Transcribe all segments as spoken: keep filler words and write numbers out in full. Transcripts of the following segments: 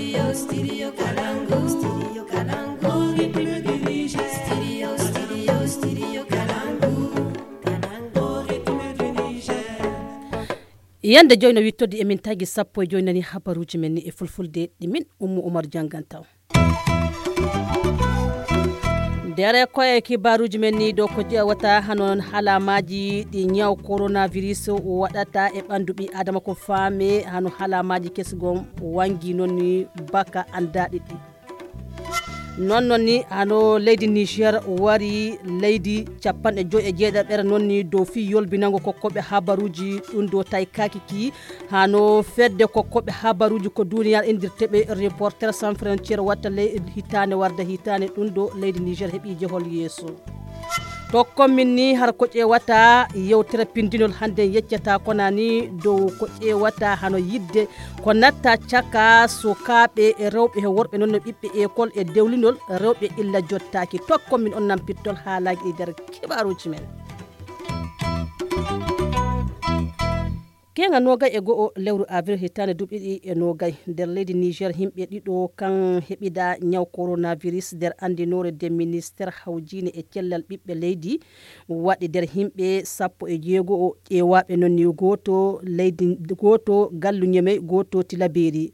Studio, studio Kalangu, studio Kalangu, studio, studio, studio Kalangu, Kalangu, yande joyno wittode emin tagi sappo e joynani habaruji men ni e fulfulde ɗimin Ummu Umar jangantaw. Dere koye kibaruji men ni do ko jewata hanon halamaji ɗi nyaw coronavirus waɗata e ɓandu ɓi adama ko faame hano halamaji kesgom wangi non ni baka andaɗi ɗi non non ni hano leydi Niger wari leydi capanɗe joyi e jeeɗiɗaɓere non ni dow fi yolbinango kokkoɓe habaruji ɗum do tay kakiki hano fedde kokkoɓe habaruji ko duniyar indirteɓe Reporters sans frontières watta leydi hitane warda hitane ɗum do leydi Niger heeɓi jehol yeeso to kommin ni har ko ƴewata yewtere pindinol hande yeccata konani dow ko ƴewata hano yidde ko natta caka sukaɓe e rewɓe e worɓe noon no ɓiɓɓe école e dewlinol rewɓe illa jottaki to kommin on nan pittol haalaji ɗi nder kibaruji men. Kenga nogay e go'o lewru avril hitande duɓi ɗi e nogay nder leydi Niger himɓe ɗiɗo kan heɓida nyaw coronavirus nder andinore de ministére hawjine e cellal ɓiɓɓe leydi waɗi nder himɓe sappo e jeego'o ƴewaɓe non ni goto leydi goto gallu Ñemey goto Tilaberi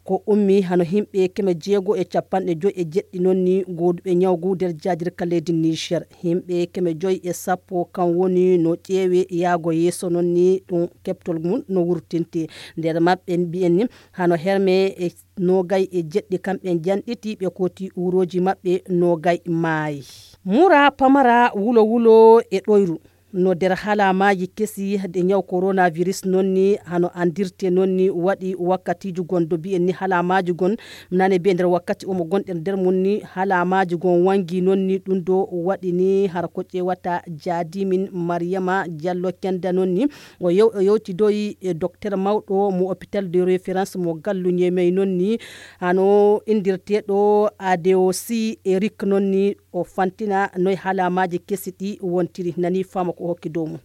ko ummi hano himɓe keme jeego e capanɗe joyi e jeɗɗi non ni goduɓe nyawgu nder jajirka leydi Niger himɓe keme joyi e sappo kan woni no ƴeewe yaago yeeso non ni ɗum keptol mum no wurtinti nder maɓɓe mbi'en ni hano herme e nogay e jeɗɗi kamɓe janɗiti ɓe koti uroji maɓɓe nogay maayi mura pamara wulo wulo e ɗoyru no der halamaji kesi de nyaw coronavirus nonni hano andirte nonni waɗi wakkatiji gondo bi'en ni halamaji gon nane be nder wakkati omo gonɗen nder munni halamaji gon wangi nonni ɗum do waɗi ni har ko ƴewata jaadimin Mariama Diallo Kenda nonni o yew o yewti doyi e docteur mawɗo mo hôpital de référence mo gallu Ñemey nonni hano indirteɗo A D O C Eric nonni o fantina noy halamaji kesi ɗi wontiri nani fama ko hokki dow mum.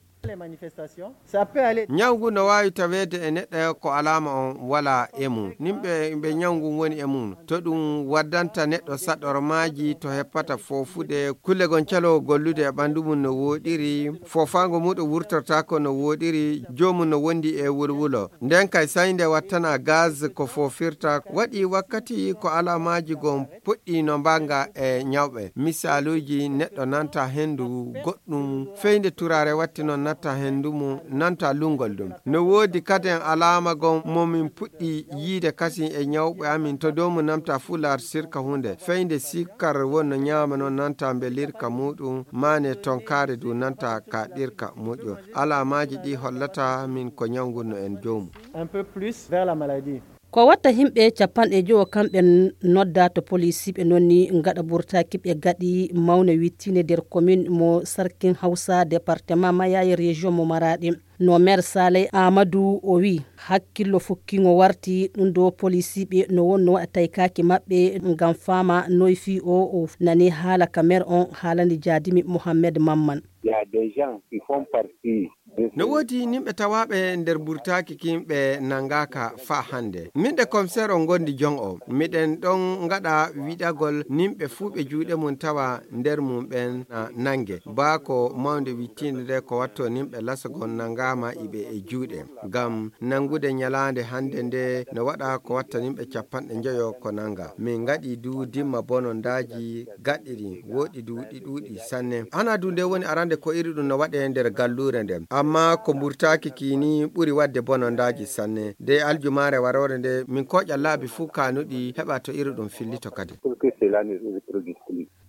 Nyawgu no wawi tawede e neɗɗo ko alama on wala e mum nimɓe ɓe nyawgu woni e mum to ɗum waddanta neɗɗo saɗormaji to heppata fofude kulle gon calo gollude e ɓandu mum no woɗiri fofango muɗum wurtortako no woɗiri jomum no wondi e wulwulo nden kay sayde wattana gaz ko fofirta waɗi wakkati ko alamaji gon puɗɗi no mbanga e nyawɓe misaluji neɗɗo nanta hendu goɗɗum feyde turare watti non natta hendu mum nanta lungol ɗum no wodi kadi alama gon momin puɗɗi yiide kasi e nyawɓe amin to dow mu namta fular sirka hunde feyde sikkar wonno nyama non nanta belirka muɗum mane tonkare du nanta ka ɗirka moƴƴo alamaji ɗi hollata min ko nyawgu no en jowmu un peu plus vers la maladie. Ko watta himɓe capanɗe jowo kamɓe nodda to police ɓe nonni ngaɗa burtaki ɓe gaɗi mawne wittine nder commune mo Sarkin Hausa département Mayayi région mo Maradi no maire Saleh Amadou o wi hakkillo fukkingo warti ɗum do police ɓe no wonno waɗa taykaki maɓɓe ngam fama noy fi o o nani haala ka maire on haalani Jadimi Mohamed Mamman. Il y a des gens qui font partie no wodi nimɓe tawaɓe nder burtaki kimɓe nangaka fa hande minɗe commissaire o gondi jon o miɗen ɗon gaɗa wiɗagol nimɓe fuu ɓe juuɗe mum tawa nder mum ɓen nangue ba ko mawde wittinde nde ko watto nimɓe lasagon nangama iɓe e juuɗe gam nangude nyalande hande nde no waɗa ko watta nimɓe capanɗe joyo ko nanga min gaɗi du dimma bonondaji gaɗɗiɗi woɗi duuɗi ɗuuɗi sanne hana du nde woni arande ko iri ɗum no waɗe nder gallure nde amma ko burtaki kini ɓuri wadde bonondaji sanne de aljumare warore nde min koƴa laabi fuu kanuɗi heɓa to iri ɗum fillito kadi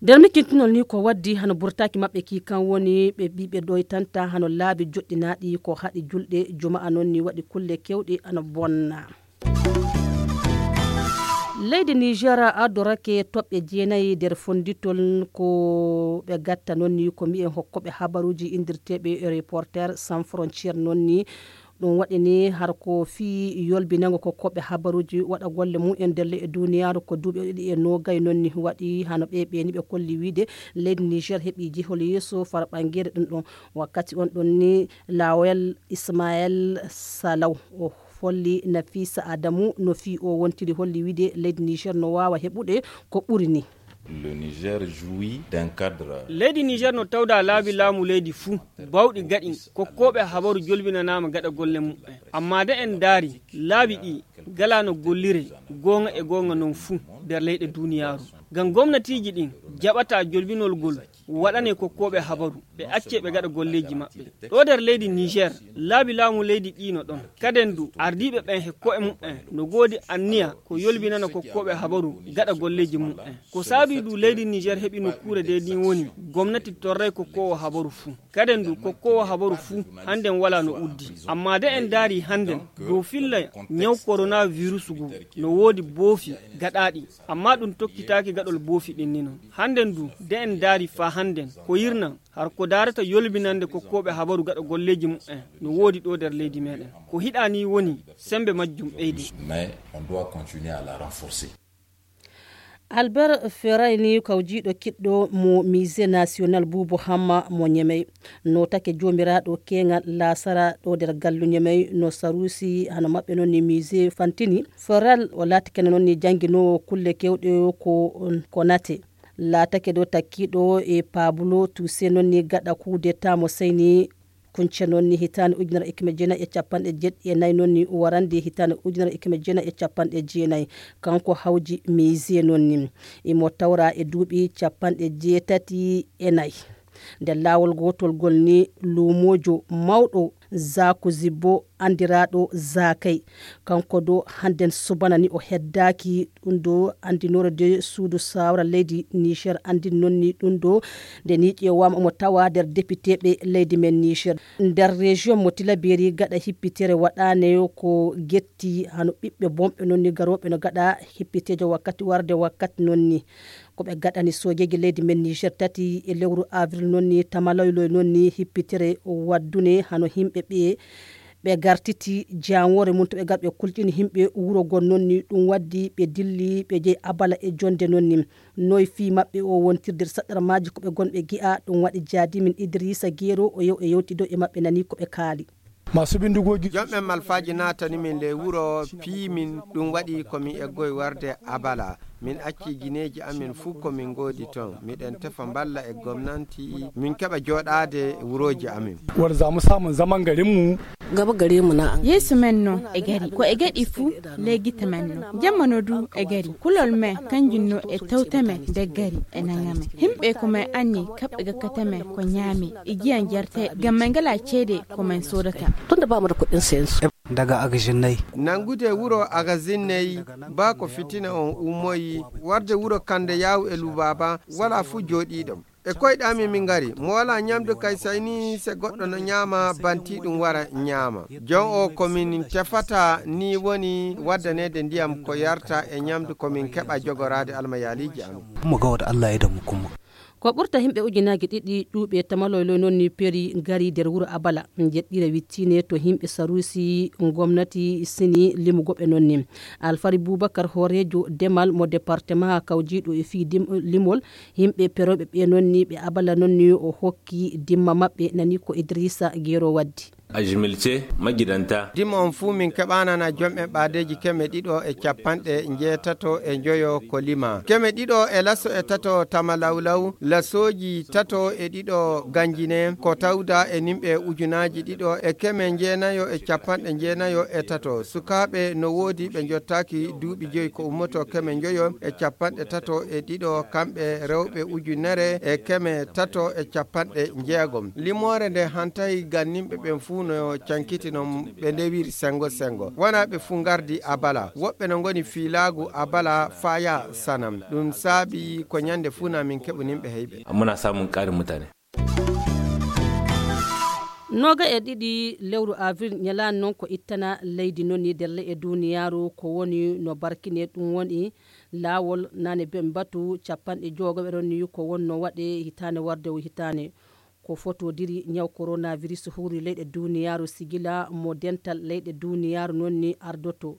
nder mikkintunol ni ko waddi hano burtaki maɓɓe ki kan woni ɓe ɓiɓe ɗoytanta hano laabi joɗɗinaɗi ko haɗi julɗe juma'a noon ni waɗi kulle kewɗe ano bonna leydi Niger adorake toɓɓe jeenayi nder fonditol ko ɓe gatta noon ni ko mbi'en hokkoɓe habaruji indirteɓe Reporters sans frontières noon ni ɗum waɗi ni har ko fi yolbinago ko koɓe habaruji waɗa golle mum en nder e duniyaru ko duuɓi ɗiɗi e nogay noon ni waɗi hano ɓe ɓe ni ɓe kolli wiide leydi Niger heɓi jihol yeeso fara ɓangere ɗum ɗon wakkati on ɗon ni Lawel Ismaël Salaw o holli Nafisa Adamu no fi o wontiri holli wide leydi Niger no wawa heɓude ko ɓuri ni. Le Niger jouit d'un cadre. Leydi Niger no tawda laabi laamu leydi fuu bawɗi gaɗi kokkoɓe habaru jolbinanama gaɗa golle mum amma da en daari laabi ɗi gala no gollire gonga e gonga non fuu nder leyɗe duniyaru ngam gomnatiji ɗin jaɓata jolbinol gol waɗane kokkoɓe habaru ɓe acce ɓe gaɗa golleji maɓɓe ɗo nder leydi Niger laabi laamu leydi ɗino ɗon kaden du ardiɓe ɓen he ko'e mum'en no godi anniya ko yolbinana kokkoɓe habaru gaɗa golleji mum'en ko saabi du leydi Niger heɓi nokkure de ɗin woni gomnati torray kokkowo habaru fuu kaden du kokkowo habaru fuu handen wala no uddi amma de en daari handen dow filla nyaw coronavirus gu no wodi boofi gaɗaɗi amma ɗum tokkitaki gaɗol boofi ɗin ni non handen du de en daari fa handen ko yirna har ko darata yolbinande kokkoɓe habaru gaɗa golleji mum'en no wodi ɗo nder leydi meɗen ko hiɗani woni sembe majjum ɓeydi. Mais on doit continuer à la renforcer. Albert Ferraini kawjiɗo kiɗɗo mo musée national Boubou Hamma mo Ñemey no take jomiraɗo kengal lasara ɗo nder gallu Ñemey no sarusi hano maɓɓe noon ni musée fantini Ferral o laatake noon ni jangguinowo kulle kewɗe ko ko nate laatake ɗo takkiɗo e Pablo Toussaint noon ni gaɗa coup d'état mo seyni kunce noon ni hitande ujunere e keme jeenayi e capanɗe jeɗɗi e nayyi noon ni warande hitande ujunere e keme jeenayi e capanɗe jeenayi kanko hawji musée noon ni imo tawra e duuɓi capanɗe jeetati e nayyi nde laawol gotol gol ni lumojo mawɗo Zaku Zibbo andiraɗo Zakay kanko do handen subana ni o heddaki ɗum do andinore de suudu sawra leydi Niger andi nonni ɗum do nde ni ƴewama omo tawa nder député ɓe leydi men Niger nder région mo Tilaberi gaɗa hippitere waɗane ko getti hano ɓiɓɓe bomɓe nonni garoɓe no gaɗa hippitejo wakkati warde wakkati nonni koɓe gaɗani sojeji leydi men Niger tati e lewru avril nonni tamaloyloy nonni hippitere waddune hano himɓe ɓe ɓe gartiti jawore mum to ɓe gar ɓe kulƴini himɓe wuro gon nonni ɗum waddi ɓe dilli ɓe jeeyi abala e jonde nonni noy fi maɓɓe o wontirde saɗɗara maji koɓe gonɓe gi'a ɗum waɗi jaadimin Idrissa Guero o yew e yewtido e maɓɓe nani koɓe kaali masu bindigoji jomɓe malfaji natani min le wuro piimin ɗum waɗi komin eggoye warde abala min acci guineji amin fuu komin godi ton miɗen tefa balla e gomnati min keɓa joɗade wuroji amin war zamu samun zaman garin mu gaba gare mu na yesu men no e gari ko e gaɗi fuu legita men no jammano du e gari kulol men kanjum no e tawta men de gari e nangame himɓe ko men anni kaɓɓe gakkata men ko ñaami igiyan jarte gam men ngala ceede ko men sodata tunda ba mu da kuɗin sayan su daga agajinnay nangude wuro agazinnay ba ko fitina on ummoyi warde wuro kande yaw e lubaba wala fu joɗiɗom e koyɗami min gari mo wala ñamdu kay sayni se goɗɗo no ñaama banti ɗum wara ñaama jon o komin tefata ni woni waddanede ndiyam ko yarta e ñamdu komin keɓa jogorade almayaliji amin mo gawda Allah e damu kuma ko ɓurta himɓe ujunaji ɗiɗi ɗuuɓe tamaloylo noon ni peeri gari nder wuro abala jeɗɗire wittine to himɓe sarusi gomnati sini limugoɓe noon ni Alfari Boubacar horejo demal mo département kawjiɗo e fi limol himɓe peroɓe ɓe noon ni ɓe abala noon ni o hokki dimma maɓɓe nani ko Idrissa Guero waddi a jimilce magidanta dimma on fuu min keɓanana jomɓe ɓaadeji keme ɗiɗo e capanɗe jeetato e joyo ko lima keme ɗiɗo e lasso e tato tamalawlaw lasoji tato e ɗiɗo ganjine ko tawda e nimɓe ujunaji ɗiɗo e keme jeenayo e capanɗe jeenayo e tato sukaɓe no woodi ɓe jottaki duuɓi joyi ko ummoto keme joyo e capanɗe tato e ɗiɗo kamɓe rewɓe ujunere e keme tato e capanɗe jeegom limore nde hantayi gannimɓe ɓen fuu no cankitino ɓe ndewiri sengo sengo wona ɓe fuu gardi abala woɓɓe no goni fiilaagu abala faya sanam ɗum saabi ko ñande fuu na min keɓunimɓe heyɓe muna samun ƙarin mutane noga e ɗiɗi lewru avril ñalani noon ko ittana leydi nonni delle e duniyaru ko woni no barkine ɗum woni laawol nane ben batu capanɗe jogoɓe ɗon ni ko wonno waɗe hitane warde hitane ko fotodiri ñaw coronavirus huri leyɗe duniyaru sigila mo dental leyɗe duniyaru noon ni ardoto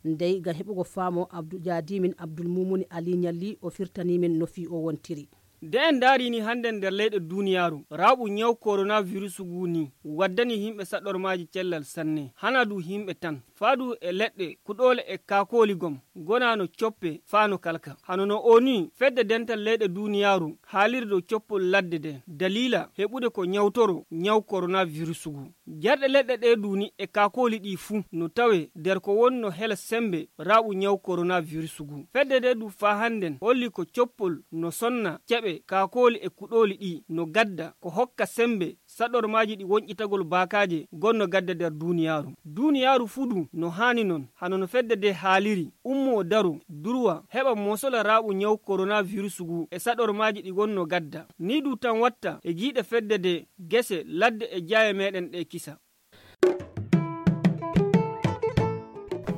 ndey gam heɓugo faamo abdou jadimin abdoul moumouni ali ñalli o firtanimin no fi o wontiri de en darini hande nder leyɗe duniyaru raɓu nyaw coronavirus guni waddani himɓe saɗormaji cellal sanne hana du himɓe tan faadu e leɗɗe kuɗole e kakoli gom gonano coppe faano kalka hanono oni fedde dental leyɗe duniyaru haaliri dow coppol ladde de dalila heɓude ko nyawtoro nyaw coronavirus gu jarɗe leɗɗe ɗe duni e kakoli ɗi fuu no tawe nder ko wonno hela sembe raɓu nyaw coronavirus gu fedde de du fa handen holli ko coppol no sonna keɓe kakoli e kuɗoli ɗi no gadda ko hokka sembe saɗormaji ɗi wonƴitagol bakaje gonno gadda nder duniyaru duniyaru fudu no hani non hanono fedde de haaliri ummo daru durwa heɓa mosola raɓu nyaw coronavirus gu e saɗormaji ɗi gonno gadda ni du tan watta e giiɗe fedde de gese ladde e jaaye meɗen ɗe kisa.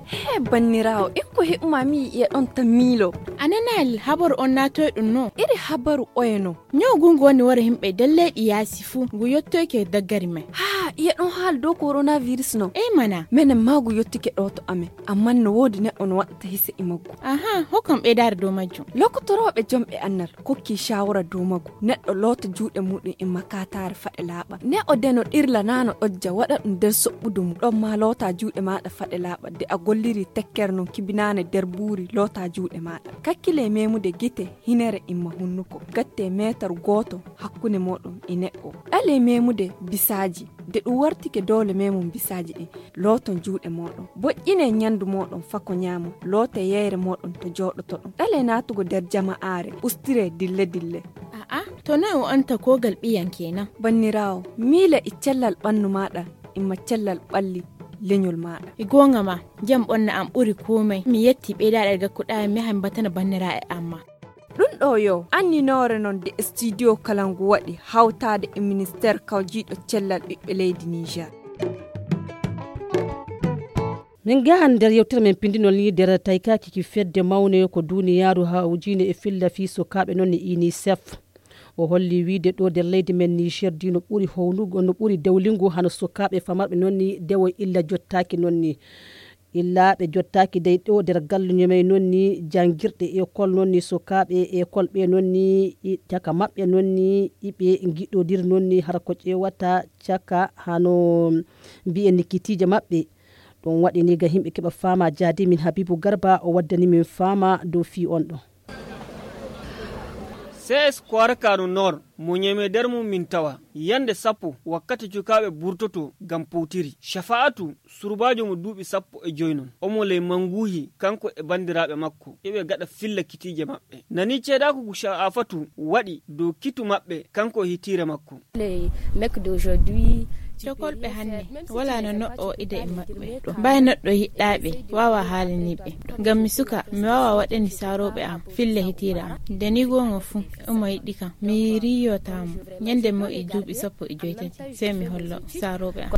He bannirawo en ko heɓmami e ɗon tan miilo ananal habaru on natoy ɗum no iri habaru oyeno nyaw gungu woni wara himɓe dalleɗi yaasi fuu ngu yettoyke daggari men ha iya ɗon haal dow coronavirus no e mana minen ma ngu yettike ɗo to amen amma no woodi neɗɗo no waɗata hise e maggu aha hokkam ɓeydare dow majjum lokotoroɓe jomɓe annal kokki shawara dow maggu neɗɗo loota juuɗe muɗum e makatare faɗe laaɓa ne o deno ɗirla nano ɗojja waɗa ɗum nder soɓɓudu mum ɗon ma loota juuɗe maɗa faɗe laaɓa de a golliri tekkere non kibinane nder buuri loota juuɗe maɗa kakkile memude gite hinere imma hunnuko gatte metar goto hakkunde moɗon e neɗɗo ɗale memude bisaji de ɗum wartike dole memum bisaji ɗin looton juuɗe moɗon boƴƴine ñandu moɗon fako ñaamo loote yeyre moɗon to joɗoto ɗon ɗale natugo nder jama'are ustire dille dille aa to noy o anta kogal ɓiyan kenan bannirawo miila e cellal ɓannu maɗa imma cellal ɓalli leñol maɗa e gonga ma jam ɓonna am ɓuri komai mi yetti ɓeydaɗe gakkuɗa mi han batana bannira e amma ɗum ɗo yo anninore non de studio kalangu waɗi hawtade e ministére kawjiɗo cellal ɓiɓɓe leydi Niger. min gahan nder yewtere men pindinol ni nder taykaki ki fedde mawne ko duniyaru hawjine e filla fi sukaɓe noon e unicef o holli wiide ɗo nder leydi men Niger di no ɓuri hownugo no ɓuri dewlingu hano sukaɓe famarɓe noon ni dewo illa jottaki noon ni illa ɓe jottaki dey ɗo nder galluño may noon ni jangirɗe école noon ni sukaɓe école ɓe noon ni caka maɓɓe noon ni iɓe giɗodir noon ni har ko ƴewata caka hano mbiyen nikkitije maɓɓe ɗum waɗi ni ga himɓe keɓa fama jadi min Habibou Garba o waddani min fama dow fi on ɗo C S Kwarakano Nord mo nyeme der mum min tawa yande sappo wakkati cukaɓe burtoto gam pawtiri Shafa'atu surbajo mo duuɓi sappo e joynon omo ley manguhi kanko e bandiraɓe makko eɓe gaɗa filla kitije maɓɓe nani ceedaku Shafa'atu waɗi dow kitu maɓɓe kanko hitire makko le mec d'aujourd'hui cokolɓe hanne wala no neɗɗo ida e maɓɓe ɗo mbawi neɗɗo yiɗɗaɓe wawa haalaniɓe ngam mi suka mi wawa waɗani saroɓe am filla hitira am nde ni gonga fuu omo yiɗɗi kam mi riyotamo ñande mo e duuɓi sappo e joytati sey mi hollo saroɓe am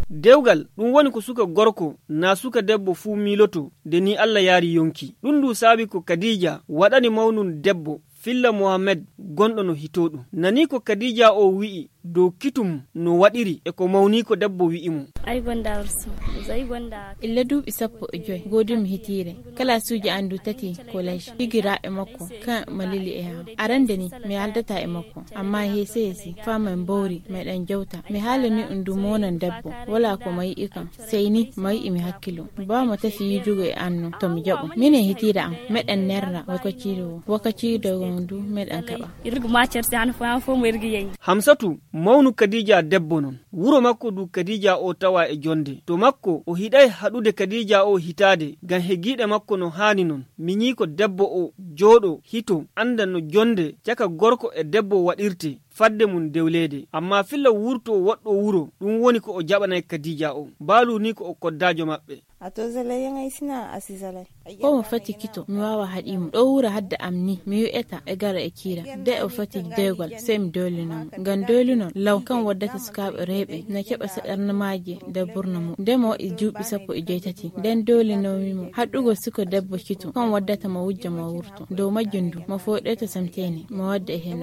dewgal ɗum woni ko suka gorko na suka debbo fuu miloto nde ni Allah yaari yonki ɗum ndu saabi ko Khadija waɗani mawnun debbo Filla Mohammed gonɗo no hitoɗum nani ko Khadija o wi'i dow kitum no waɗiri e ko mawni ko debbo wi'i mo ay gonda arsu zai gonda illa duuɓi sappo e joyi godumi hitire kala suuji andu tati college higiraɓe makko kan malili e ham arande ni mi haldata e makko amma hese hesi fama en bawri meɗen jawta mi haalani ɗum du monan debbo wala ko mayi ikam sey ni mayi mi hakkilo bawmo tafi yijugo e annu to mi jaɓo minen hitira am meɗen nerra wakaciro wakaciro ndu meɗen kaɓa irgu ma cerse an fa fo mo irgi yeyi Hamsatu mawnu Khadija debbo non wuro makko du Khadija o tawa e jonde to makko o hiɗay haɗude Khadija o hitade gam hegiɗe makko no hani non miñi ko debbo o jooɗo hito anda no jonde caka gorko e debbo waɗirte fadde mum dewlede amma filla wurto woɗɗo wuro ɗum woni ko o jaɓanay Khadija o baalu ni ko o koddajo maɓɓe ato zalay ngay sina asizalay ko mo fati kito mi wawa haɗimo ɗo wura hadda am ni mi wi'eta e gara e kira de o fati dewgal sey mi dolino ngam dolino law kan waddata sukaɓe rewɓe na keɓa saɗarnamaji nde burna mum nde mo e juuɓi sappo e joytati nden dolinomimo haɗugo suko debbo kito kan waddata mo wujja mo wurto dow majjum ndu mo foɗeto samtene mo wadda e hen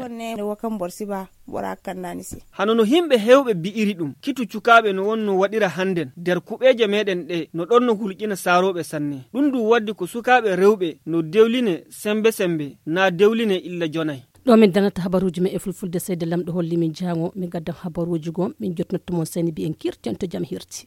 hanono himɓe hewɓe bi'iri ɗum kitu cukaɓe no wonno waɗira handen nder kuɓeje meɗen ɗe no ɗon no hulƴina saroɓe sanne ɗum ndu waddi ko sukaɓe rewɓe no dewline sembe sembe na dewline illa jonay ɗo min danata habaruji men e fulfulde seyde lamɗo holli min jango min gaddan habaruji gon min jotnotto mon seni mbiyen kirten to jaam hirti.